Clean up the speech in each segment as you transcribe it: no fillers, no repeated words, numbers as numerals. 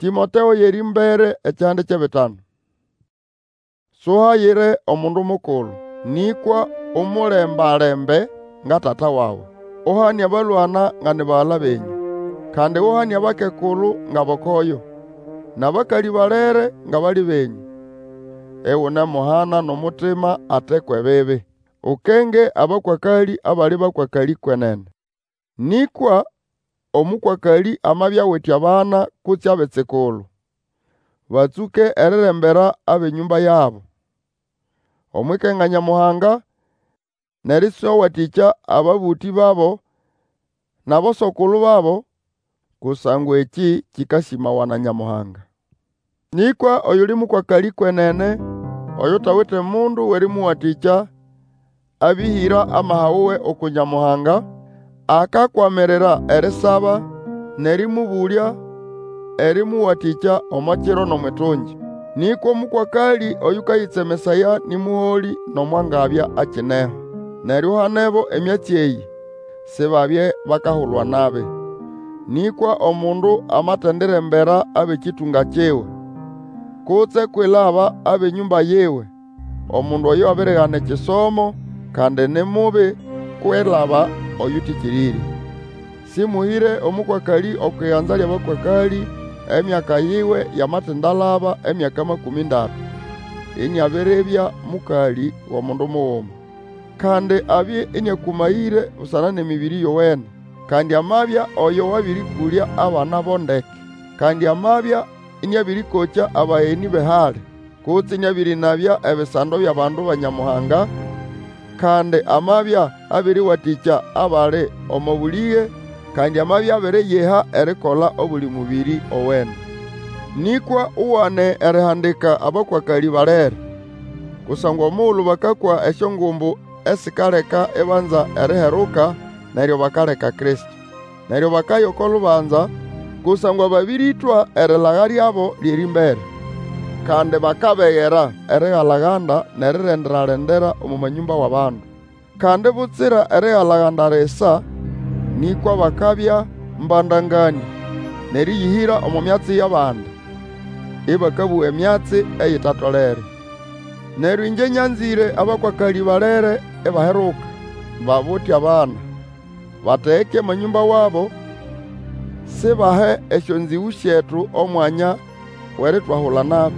Tĩmoteo y'erĩmbere ekihande ky'ebitanu. Suhayire omundu mukulu, nĩkwa umulemba-lembe nga tata wawe. Uhane abalwana nga ni bagala benyũ. Kandi uhane abakekulu ng'abokoyo, n'abakalĩ balere nga bali benyũ, iunemuhana n'omutima ate kw'ebibi. Ukenge abakwakalĩ abali bakwakalĩ kwenene. Nĩkwa omũkwakalĩ amabya awite abana kutse abitsikulu, batsũke erirembera ab'enyũmba yabo, omw'ikenga Nyamuhanga, n'erĩswawatĩkya ababũtĩ babo n'aboso-kulu babo, kusangwa ekĩ kĩkasĩmawa na Nyamuhanga. Nĩkwa oyuli mũkwakalĩ kwenene, oyutawite mundu w'erĩmũwatĩkya, abĩhĩra amaha wuwe uku Nyamuhanga, akakwamirira erisaba, n'erĩmũbũlya erĩmũwatĩkya omo kiro n'omw'itungi. Nĩkwa omũkwakalĩ oyũkayĩtsemesaya nĩ mũholĩ nomo angabya akineho. Neryo uhanebo emyatsi eyĩ, sibabye bakahulwa nabi. Nĩkwa omundu amatendirembera ab'ekĩtũnga kiwe, kutse kwilaba ab'enyũmba yiwe, omundu oyo abirigana ekisomo, kandi ni mubi kwilaba oyũtĩkĩrĩrye. Sĩmũhĩre omũkwakalĩ okw'iganza ly'abakwakalĩ, emyaka yiwe yamatindalaba emyaka makũmĩ ndatu, iniabiribya mũkalĩ w'omundu muguma. Kandi abye ĩnĩakũmayĩre busana n'emĩbĩrĩ yowene, kandi amabya oyo wabĩrĩkũlya abana bo ndeke. Kandi amabya ĩnĩabĩrĩkokya abagenĩ b'ehali, kutse ĩnĩabĩrĩnabya ebisando by'abandu ba Nyamuhanga, kandi amabya abĩrĩwatĩkya abali omo bũlĩge, kandi amabya abiriyiha erikola obuli mũbĩrĩ owene. Nĩkwa uwane erihandika abakwakalĩ balere. Kusangwa omugulu bakakwa esyongumbu esikaleka ibanza eriheruka, neryo bakaleka Kristo. Neryo bakaya oko lubanza, kusangwa babĩrĩtwa erilaga lyabo ly'erĩmbere. Kandi bakabegera erigalaganda n'erirendera-lendera omo manyũmba w'abandu. Kandi butsira erigalaganda lisa, nĩkwa bakabya mbandanganĩa, n'erĩyĩhĩra omo myatsi y'abandi, ĩbakabũga emyatsi eyitatolere. Neryo ĩngye nyanzĩre abakwakalĩ balere ibaheruka, babute abana, bategeke amanyũmba wabo, sibahe esyonzĩgũ syetu omwanya w'eritwahula nabi.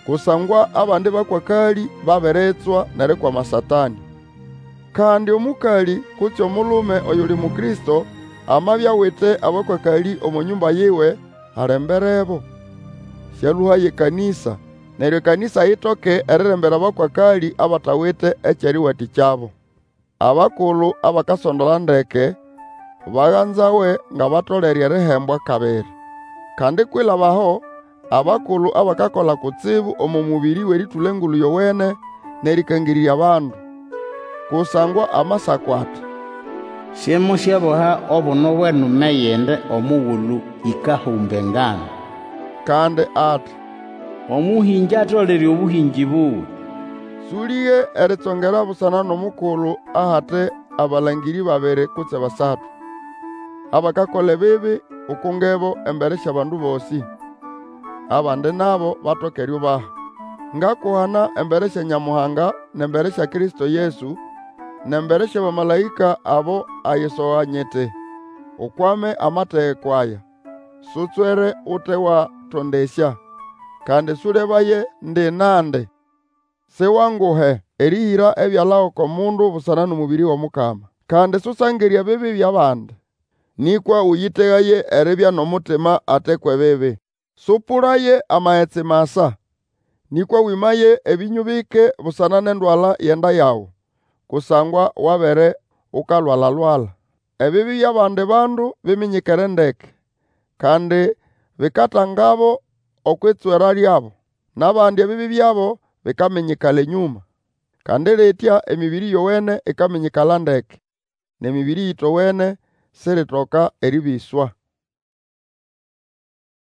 Kusangwa abandi bakwakalĩ babiritswa n'erikwama Satanĩ. Kandi omũkalĩ kutse omulume oyuli Mukristo amabya awite abakwakalĩ omo nyũmba yiwe, alemberebo. Sĩalũhaye ekanĩsa, neryo ekanĩsa itoke erirembera abakwakalĩ abatawite eky'erĩwatĩkyabo. Abakulu abakasondola ndeke baganzawe ng'abatolere erihembwa kabiri. Kandi kwilaba aho, abakulu abakakola kutsibu omo mũbĩrĩ w'erĩtũla Engulu Yowene n'erĩkangĩrĩrya abandu. Kusangwa Amasako ati, Simusyaboha obuno bw'enume yindi omugulu yikahumba engano. Kandi ati, Omũhĩngĩ atolere obũhĩngĩ buwe. Sũlĩge eritsongera busana n'omukulu ahate abalangĩrĩ babiri kutse basatu. Abakakola ebibi ukungebo embere sy'abandu bosĩ, abandi nabo batoke eriubaha. Ngakuhana embere sya Nyamuhanga, n'embere sya Kristo Yesu, n'embere sy'abamalaĩka abo ayisoga nyiti, Ukwame amategeko aya, sutswere ute watondesya, kandi sũlebaye ndi nandi. Siwanguhe erĩhĩra ebyala oko mundu busana n'omũbĩrĩ w'Omukama. Kandi Susangirye ebibi by'abandi, nĩkwa ũyĩtegaye eribya n'omutima ate kw'ebibi. Sũpũlaye amagetsi masa, nĩkwa wĩmaye ebĩnyũ bike busana n'endwala y'enda yawe, kusangwa wabere ukalwala-lwala. Ebibi by'abandi bandu biminyikere ndeke, kandi bikatangabo okw'itswera lyabo. N'abandi ebibi byabo bikaminyikala enyũma. Kandi litya emĩbĩrĩ yowene ikaminyikala ndeke, n'emĩbĩrĩ yitowene siritoka erĩbĩswa.